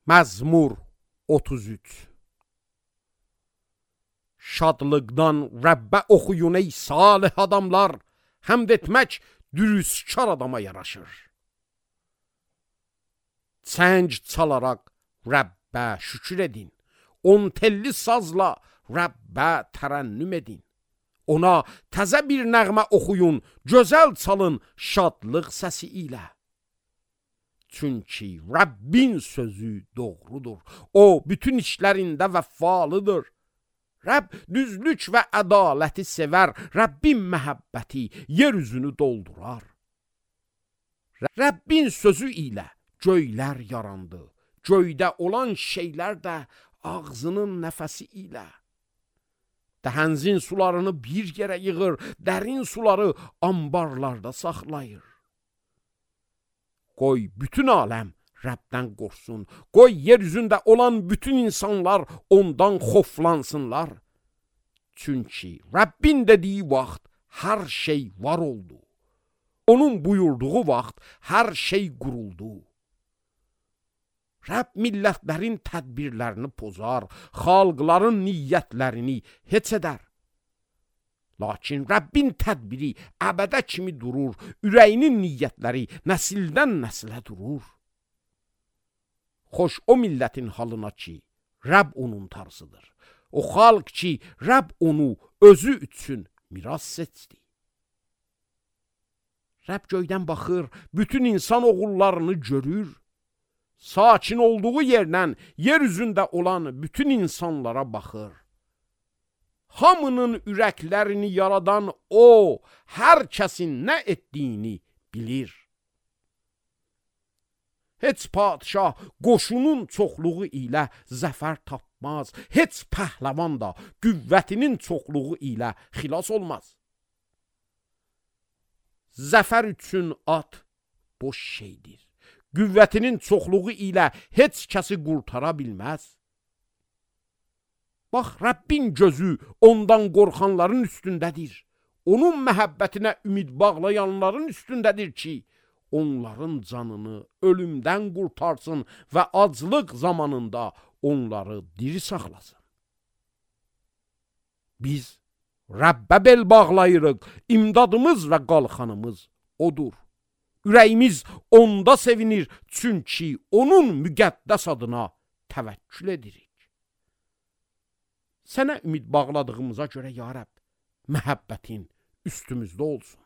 Məzmur 33. Şadlıqdan Rəbbə oxuyun ey salih adamlar, həmd etmək dürüstkar adama yaraşır. Çəng çalaraq Rəbbə şükür edin, on telli sazla Rəbbə tərənnüm edin. Ona təzə bir nəğmə oxuyun, gözəl çalın şadlıq səsi ilə. Çünki Rəbbin sözü doğrudur, o bütün işlərində vəfalıdır. Rəbb düzlük və ədaləti sevər, Rəbbin məhəbbəti yer üzünü doldurar. Rəbbin sözü ilə göylər yarandı, göydə olan şeylər də ağzının nəfəsi ilə. Dəhənzin sularını bir yerə yığır, dərin suları ambarlarda saxlayır. Qoy bütün aləm Rəbdən qorxsun, qoy yer üzündə olan bütün insanlar ondan xoflansınlar. Çünki Rəbbin dediyi vaxt hər şey var oldu. Onun buyurduğu vaxt hər şey quruldu. Rəbb millətlərin tədbirlərini pozar, xalqların niyyətlərini heç edər. Lakin Rəbbin tədbiri əbədə kimi durur, ürəyinin niyyətləri nəsildən nəsilə durur. Xoş o millətin halına ki, Rəbb onun tarzıdır. O xalq ki, Rəbb onu özü üçün miras seçdi. Rəbb göydən baxır, bütün insan oğullarını görür. Sakin olduğu yerdən yer üzündə olan bütün insanlara baxır. Hamının ürəklərini yaradan o, hər kəsin nə etdiyini bilir. Heç padişah qoşunun çoxluğu ilə zəfər tapmaz, heç pəhləvan da qüvvətinin çoxluğu ilə xilas olmaz. Zəfər üçün at boş şeydir. Qüvvətinin çoxluğu ilə heç kəsi qurtara bilməz. Bax, Rəbbin gözü ondan qorxanların üstündədir. Onun məhəbbətinə ümid bağlayanların üstündədir ki, onların canını ölümdən qurtarsın və aclıq zamanında onları diri saxlasın. Biz Rəbbə bel bağlayırıq, imdadımız və qalxanımız odur. Ürəyimiz onda sevinir, çünki onun müqəddəs adına təvəkkül edirik. Sənə ümid bağladığımıza görə ya Rəbb, məhəbbətin üstümüzdə olsun.